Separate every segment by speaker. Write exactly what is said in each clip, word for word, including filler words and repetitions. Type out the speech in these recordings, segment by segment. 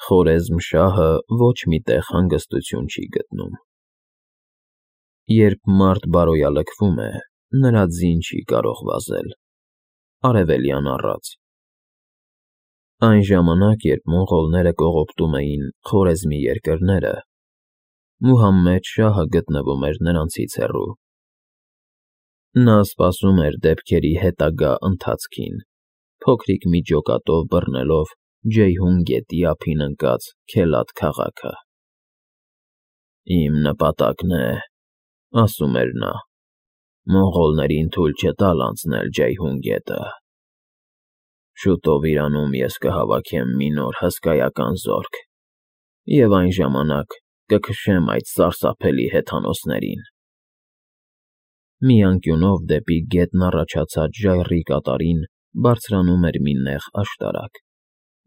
Speaker 1: Խորեզմշահը ոչ մի տեղ հանգստություն չի գտնում։ Երբ մարդ բարոյալքվում է, նրա ձին չի կարող վազել, արևելյան առած։ Այն ժամանակ, երբ մոնղոլները կողոպտում էին Խորեզմի երկրները, Մուհամմեդ շահը գտնվում էր նրանցից հեռու։ Նա սպասում էր դեպքերի հետագա ընթացքին, փոքրիկ մի ջոկատով բռնելով Ջեյհուն գետի ափին ընկած Քելաթ քաղաքը։ «Իմ նպատակն է,֊ ասում էր նա,֊ մոնղոլներին թույլ չտալ անցնել Ջեյհուն գետը։ Շուտով Իրանում ես կհավաքեմ մի նոր հսկայական զորք և այն ժամանակ կքշեմ այդ սարսափելի հեթանոսներին»։ Մի անկյունով դեպի գետն առաջացած ժայռի կատարին բարձրանում էր մի նեղ աշտարակ,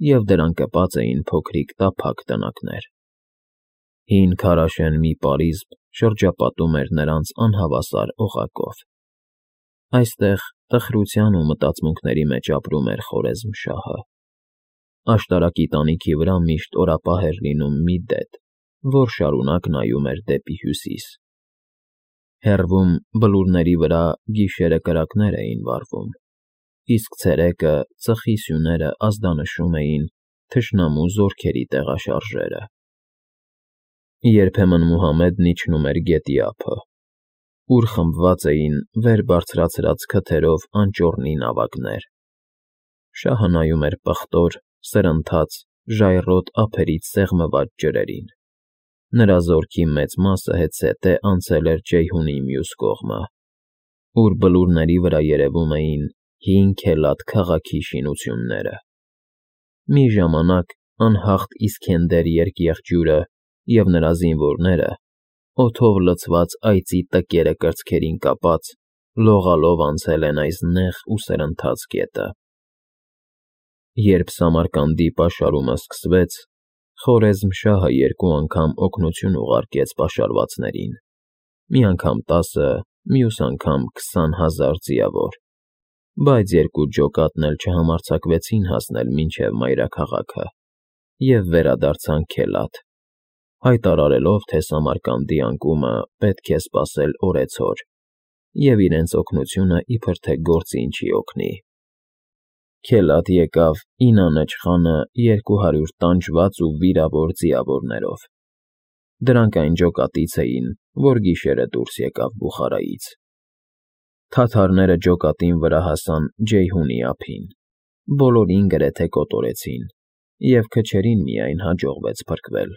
Speaker 1: և դրան կպած էին փոքրիկ տափակ տնակներ։ Հին քարաշեն մի պարիսպ շրջապատում էր նրանց անհավասար օղակով։ Այստեղ տխրության ու մտածմունքների մեջ ապրում էր Խորեզմշահը։ Աշտարակի տանիքի վրա միշտ օրապահ էր լինում մի դեդ, որ շարունակ նայում էր դեպի հյուսիս։ Հեռվում, բլուրների վրա, գիշերը կրակներ էին վառվում, իսկ ցերեկը ծխի սյուները ազդանշում էին թշնամու զորքերի տեղաշարժերը։ Երբեմն Մուհամմեդն իջնում էր գետի ափը, ուր խմբված էին վեր բարձրացրած քթերով անճոռնի նավակներ։ Շահը նայում էր պղտոր, սրընթաց, ժայռոտ ափերից սեղմված ջրերին։ Նրա զորքի մեծ մասը հետզհետե անցել էր Ջեյհունի մյուս կողմը, ուր բլուրների վրա երևում էին հին Քելաթ քաղաքի շինությունները։ Մի ժամանակ անհաղթ Իսքենդեր երկեղջյուրը և նրա զինվորները, օդով լցված այծի տկերը կրծքերին կապած, լողալով անցել են այս նեղ ու սրընթաց գետը։ Երբ Սամարկանդի պաշարումը սկսվեց, Խորեզմշահը երկու անգամ օգնություն ուղարկեց պաշարվածներին, մի անգամ տասը, մյուս անգամ քսան հազար ձիավոր, բայց երկու ջոկատն էլ չհամարձակվեցին հասնել մինչև մայրաքաղաքը և վերադարձան Քելաթ, հայտարարելով, թե Սամարկանդի անկումը պետք է սպասել օրեցօր, և իրենց օգնությունը իբր թե գործին չի օգնի։ Քելաթ եկավ Ինանեչ խանը երկու հարյուր տանջված ու վիրավոր ձիավորներով։ Դրանք այն ջոկատից էին, որ գիշերը դուրս եկավ Բուխարայից։ Թաթարները ջոկատին վրա հասան Ջեյհունի ափին, բոլորին գրեթե կոտորեցին, և քչերին միայն հաջողվեց փրկվել։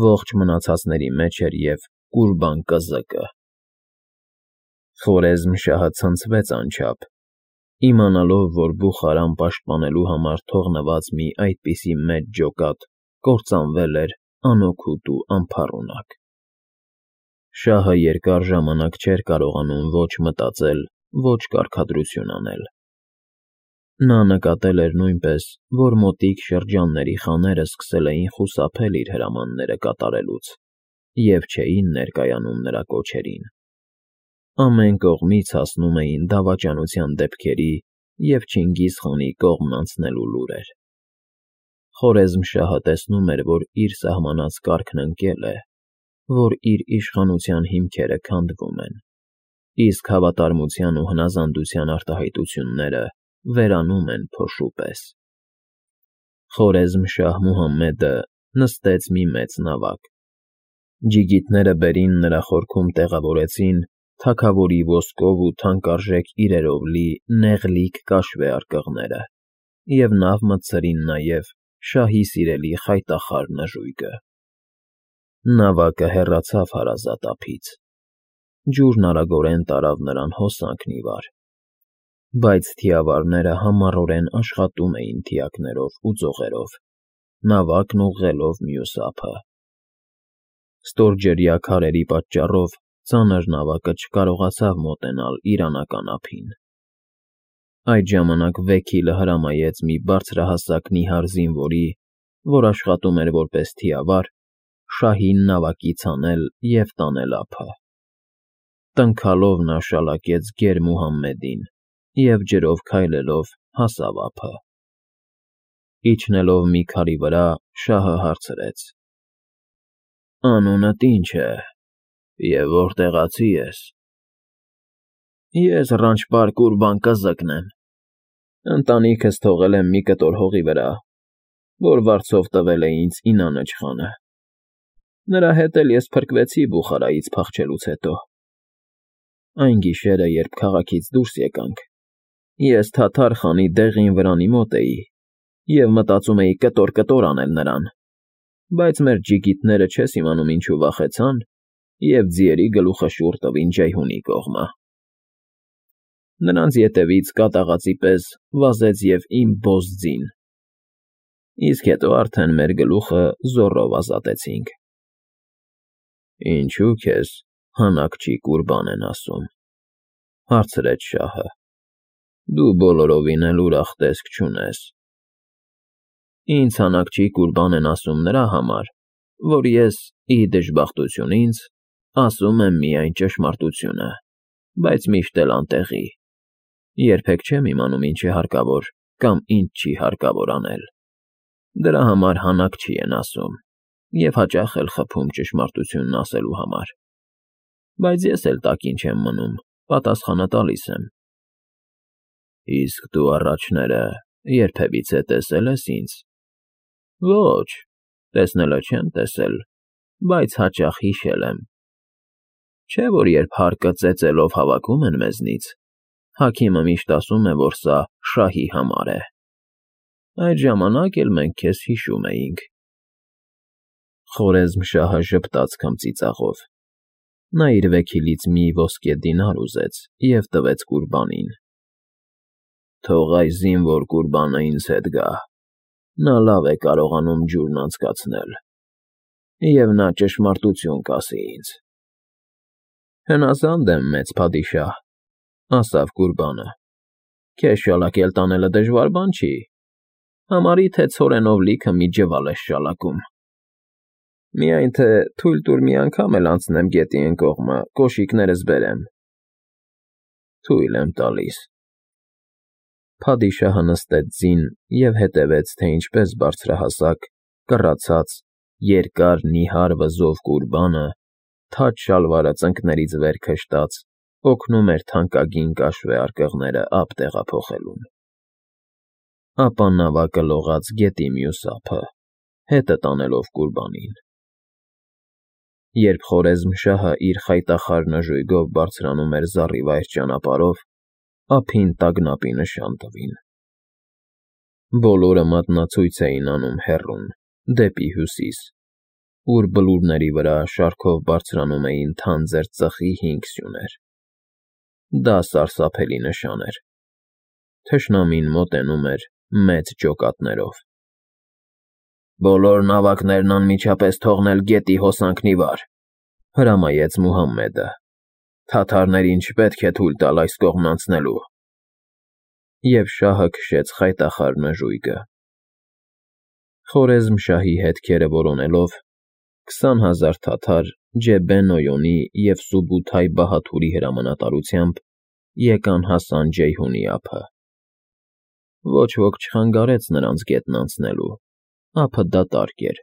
Speaker 1: Ողջ մնացածների մեջ էր և Կուրբան կզկը։ Խորեզմշահը ցնցվեց անչափ, իմանալով, որ Բուխարան պաշտպանելու համար թողնված մի այդպիսի մեծ ջոկատ կործանվել էր անօգուտ ու անփառունակ։ Շահը երկար ժամանակ չէր կարողանում ոչ մտածել, ոչ կարգադրություն անել։ Նա նկատել էր նույնպես, որ մոտիկ շրջանների խաները սկսել էին խուսափել իր հրամանները կատարելուց և չէին ներկայանում նրա կոչերին։ Ամեն կողմից հասնում էին դավաճանության դեպքերի և Չինգիզ խանի կողմն անցնելու լուրեր։ Խորեզմշահը տեսնում էր, որ իր սահմանած կարգն ընկել է, որ իր իշխանության հիմքերը քանդվում են, իսկ հավատարմության ու հնազանդության արտահայտությունները վերանում են փոշու պես։ Խորեզմշահ Մուհամմեդը նստեց մի մեծ նավակ։ Ջիգիտները բերին նրա խորքում տեղավորեցին թագավորի ոսկով ու թանկարժեք իրերով լի նեղլիկ կաշվե արկղները և նավ մտցրին նաև շահի սիրելի խայտախար նժույգը։ Նավակը հեռացավ հարազատ ափից։ Ջուրն արագորեն տարավ նրան հոսանքն ի վար, բայց թիավարները համառորեն աշխատում էին թիակներով ու ձողերով, նավակն ուղղելով մյուս ափը։ Ստորջրյա քարերի պատճառով ծանր նավակը չկարողացավ մոտենալ իր անական ափին։ Այդ ժամանակ Վեքիլը հրամայեց մի բարձրահասակ նիհար զինվորի, որ աշխատում էր որպես թիավար, շահին նավակից հանել և տանել ափը։ Տնքալով նա շալակեց գեր Մուհամմեդին և ջրով քայլելով հասավ ափը։ Իջնելով մի քարի վրա, շահը հարցրեց. Անունդ ի՞նչ է և որտեղացի ես։ Ես Ռանչպար Կուրբան Կզկն եմ, ընտանիքս թողել եմ մի կտոր հողի վրա, որ վարձով տվել է ինձ Ինանը չխանը, նրա հետ էլ ես փրկվեցի Բուխարայից փախչելուց հետո։ Այն գիշերը, երբ քաղաքից դուրս եկանք, ես թաթար խանի դեղին վրանի մոտ էի և մտածում էի կտոր֊կտոր անել նրան, բայց մեր ջիգիտները չես իմանում ինչու վախեցան և ձիերի գլուխը շուռ տվին Ջեյհունի կողմը։ Նրանց ետևից կատաղածի պես վազեց և իմ բոզ ձին, իսկ հետո արդեն մեր գլուխը զոռով ազատեցինք։ Ինչո՞ւ քեզ Հանաքչի Կուրբան են ասում, հարցրեց շահը, դու բոլորովին էլ ուրախ տեսք չունես։ Ինձ Հանաքչի Կուրբան են ասում նրա համար, որ ես, ի դժբախտություն ինձ, ասում եմ միայն ճշմարտությունը, բայց միշտ էլ անտեղի, երբեք չեմ իմանում ինչ է հարկավոր կամ ինչ չի հարկավոր անել։ Դրա համար Հանաքչի են ասում և հաճախ էլ խփում ճշմարտությունն ասելու համար, բայց ես էլ տակին չեմ մնում, պատասխանը տալիս եմ։ Իսկ դու առաջները երբևիցե տեսել ես ինձ։ Ոչ, տեսնելը չեմ տեսել, բայց հաճախ հիշել եմ։ Չէ՞ որ երբ հարկը ծեծելով հավաքում են մեզնից, հաքիմը միշտ ասում է, որ սա շահի համար է։ Այդ ժամանակ էլ մենք քեզ հիշում էինք։ Խորեզմշահը ժպտաց քմծիծաղով։ Նա իր վեքիլից մի ոսկե դինար ուզեց և տվեց Կուրբանին։ Թող այս զինվոր Կուրբանը ինձ հետ գա, նա լավ է կարողանում ջուրն անցկացնել, և նա ճշմարտություն կասի ինձ։ Հնազանդ եմ, մեծ փադիշահ, ասավ Կուրբանը, քեզ շալակել տանելը դժվար բան չի, համարի թե ցորենով լիքը մի ջվալ ես շալակում։ Միայն թե թույլ տուր մի անգամ էլ անցնեմ գետի էն կողմը, կոշիկներս բերեմ։ Թույլ եմ տալիս։ Փադիշահը նստեց ձին և հետևեց, թե ինչպես բարձրահասակ, կռացած, երկար նիհար վզով Կուրբանը, թաջ շալվարը ծնկներից վեր քշտաց, օգնում էր թանկագին կաշվե արկղները ափ տեղափոխելուն։ Ապա նավակը լողաց գետի մյուս ափը, հետը տանելով Կուրբանին։ Երբ Խորեզմշահը իր խայտախար նժույգով բարձրանում էր զառիվայր ճանապարհով, ափին տագնապի նշան տվին։ Բոլորը մատնացույց էին անում հեռուն, դեպի հյուսիս, ուր բլուրների վրա շարքով բարձրանում էին թանձր ծխի հինգ սյուներ։ Դա սարսափելի նշան էր։ Թշնամին մոտենում էր մեծ ջոկատներով։ Բոլոր նավակներն անմիջապես թողնել գետի հոսանքն ի վար, հրամայեց Մուհամմեդը։ Թաթարներին չպետք է թույլ տալ այս կողմն անցնելու։ Եվ շահը քշեց խայտախար նժույգը։ Խորեզմշահի հետքերը որոնելով, քսան հազար թաթար Ջեբեն Նոյոնի և Սուբութայ Բահաթուրի հրամանատարությամբ եկան հասան Ջեյհունի ափը։ Ոչ ոք չխանգարեց նրանց գետն անցնելու, ափը դատարկ էր,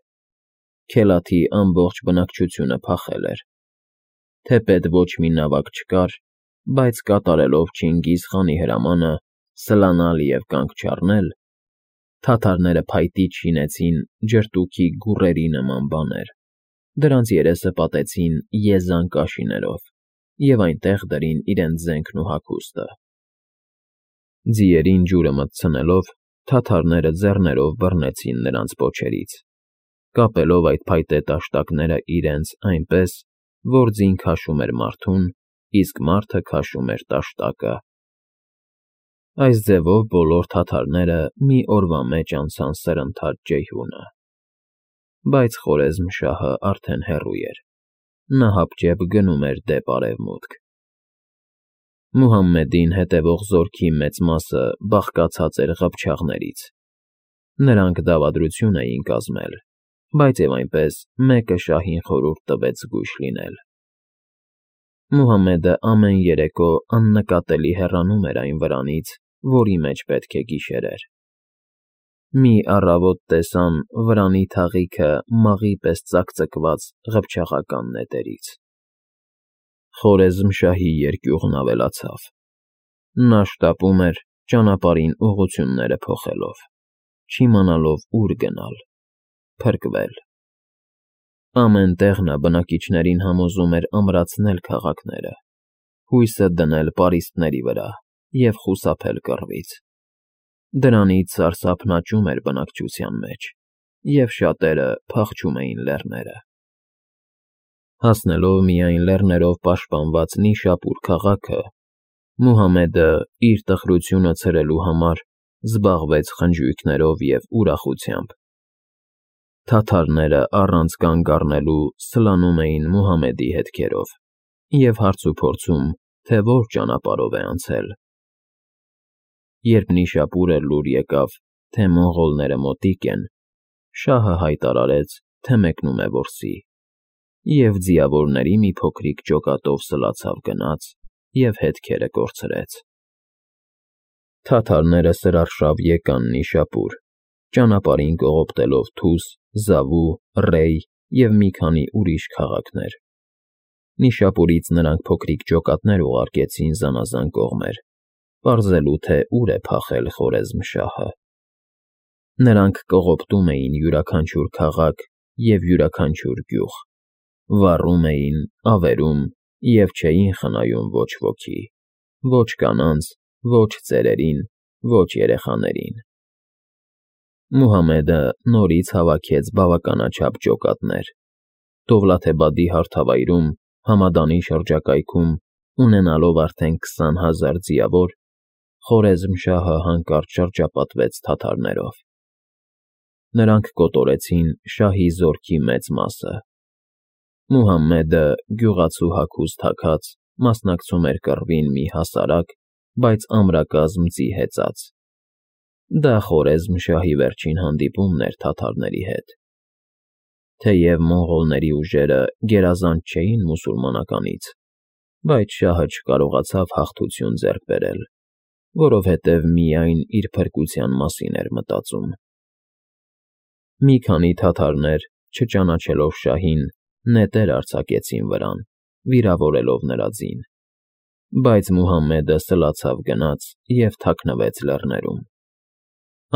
Speaker 1: Քելաթի ամբողջ բնակչությունը փախել էր։ Թեպետ ոչ մի նավակ չկար, բայց կատարելով Չինգիզ խանի հրամանը սլանալ և կանգ չառնել, թաթարները փայտիչ շինեցին ջրտուքի գուռերի նման բաներ, դրանց երեսը պատեցին եզան կաշիներով և այնտեղ դրին իրենց զենքն ու հագուստը։ Ձիերին ջուրը մտցնելով, թաթարները ձեռներով բռնեցին նրանց պոչերից, կապելով այդ փայտե տաշտակները իրենց այնպես, որ ձին քաշում էր մարդուն, իսկ մարդը քաշում էր տաշտակը։ Այս ձևով բոլոր թաթարները մի օրվա մեջ անցան սրընթաց Ջեյհունը։ Բայց Խորեզմշահը արդեն հեռու էր, նա հապճեպ գնում էր դեպ արևմուտք։ Մուհամմեդին հետևող զորքի մեծ մասը բաղկացած էր ղփչաղներից։ Նրանք դավադրություն էին կազմել, բայց և այնպես մեկը շահին խորհուրդ տվեց զգույշ լինել։ Մուհամմեդը ամեն երեկո աննկատելի հեռանում էր այն վրանից, որի մեջ պետք է գիշերեր։ Մի առավոտ տեսան վրանի թաղիքը մաղի պես ծակծկված ղփչաղական նետերից։ Խորեզմշահի երկյուղն ավելացավ։ Նա շտապում էր ճանապարհին ուղղությունները փոխելով, չիմանալով ուր գնալ, փրկվել։ Ամեն տեղ նա բնակիչներին համոզում էր ամրացնել քաղաքները, հույսը դնել պարիսպների վրա և խուսափել կռվից։ Դրանից սարսափն աճում էր բնակչության մեջ, և շատերը փախչում էին լեռները։ Հասնելով միայն լեռներով պաշտպանված Նիշապուր քաղաքը, Մուհամեդը, իր տխրությունը ցրելու համար, զբաղվեց խնջույքներով և ուրախությամբ։ Թաթարները առանց կանգ առնելու սլանում էին Մուհամեդի հետքերով և հարցուփորձում, թե որ ճանապարհով է անցել։ Երբ Նիշապուրը լուր եկավ, թե մոնղոլները մոտիկ են, շահը հայտարարեց, թե մեկնում է որսի, և ձիավորների մի փոքրիկ ջոկատով սլացավ գնաց և հետքերը կորցրեց։ Թաթարները սրարշավ եկան Նիշապուր, ճանապարհին կողոպտելով Թուս, Զավու, Ռեյ և մի քանի ուրիշ քաղաքներ։ Նիշապուրից նրանք փոքրիկ ջոկատներ ուղարկեցին զանազան կողմեր, պարզելու, թե ուր է փախել Խորեզմշահը։ Նրանք կողոպտում էին յուրաքանչյուր քաղաք և յուրաքանչյուր գյուղ, վառում էին, ավերում և չէին խնայում ոչ ոքի, ոչ կանանց, ոչ ծերերին, ոչ երեխաներին։ Մուհամեդը նորից հավաքեց բավականաչափ ջոկատներ։ Դովլաթեբադի հարթավայրում, Համադանի շրջակայքում, ունենալով արդեն քսան հազար ձիավոր, Խորեզմշահը հանկարծ շրջապատվեց թաթարներով։ Նրանք կոտորեցին շահի զորքի մեծ մասը։ Մուհամեդը, գյուղացու հագուստ հագած, մասնակցում էր կռվին մի հասարակ, բայց ամրակազմ ձի հեծած։ Դա Խորեզմշահի վերջին հանդիպումն էր թաթարների հետ։ Թեև մոնղոլների ուժերը գերազանց չէին մուսուլմանականից, բայց շահը չկարողացավ հաղթություն ձեռք բերել, որովհետև միայն իր փրկության մասին էր մտածում։ Մի քանի թաթարներ, չճանաչելով շահին, նետեր արձակեցին վրան, վիրավորելով նրա ձին։ Բայց Մուհամեդը սլացավ գնաց և թաքնվեց լեռներում։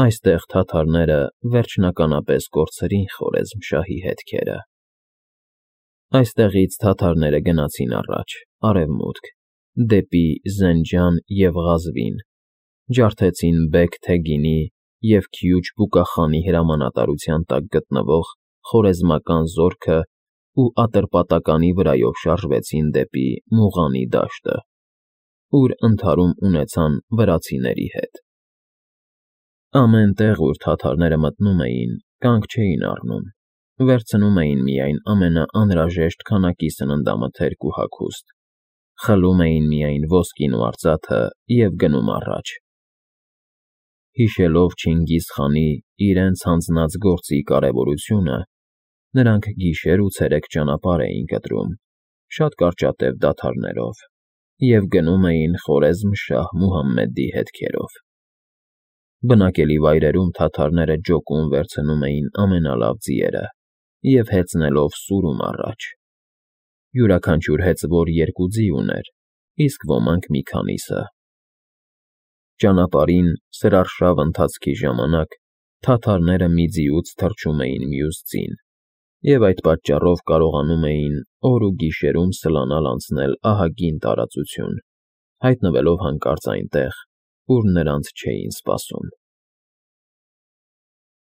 Speaker 1: Այստեղ թաթարները վերջնականապես կորցրին Խորեզմշահի հետքերը։ Այստեղից թաթարները գնացին առաջ, արևմուտք, դեպի Զենջան և Ղազվին, ջարդեցին Բեգ֊Թեգինի և Քյուչ֊Բուկախանի հրամանատարության տակ գտնվող խորեզմական զորքն ու Ատրպատականի վրայով շարժվեցին դեպի Մուղանի դաշտը, ուր ընդհարում ունեցան վրացիների հետ։ Ամեն տեղ, ուր թաթարները մտնում էին, կանգ չէին առնում, վերցնում էին միայն ամենաանհրաժեշտ քանակի սննդամթերք ու հագուստ, խլում էին միայն ոսկին ու արծաթը և գնում առաջ։ Հիշելով Չինգիզ խանի իրենց հանձնած գործի կարևորությունը, նրանք գիշեր ու ցերեկ ճանապարհ էին կտրում, շատ կարճատև դադարներով, և գնում էին Խորեզմշահ Մուհամեդի հետքերով։ Բնակելի վայրերում թաթարները ջոկում վերցնում էին ամենալավ ձիերը և հեծնելով սուրում առաջ։ Յուրաքանչյուր հեծվոր երկու ձի ուներ, իսկ ոմանք մի քանիսը։ Ճանապարհին, սրարշավ ընթացքի ժամանակ, թաթարները մի ձիուց թռչում էին մյուս ձին, և այդ պատճառով կարողանում էին օր ու գիշերում սլանալ անցնել ահագին տարածություն, հայտնվելով հանկարծ այնտեղ, ուր նրանց չէին սպասում։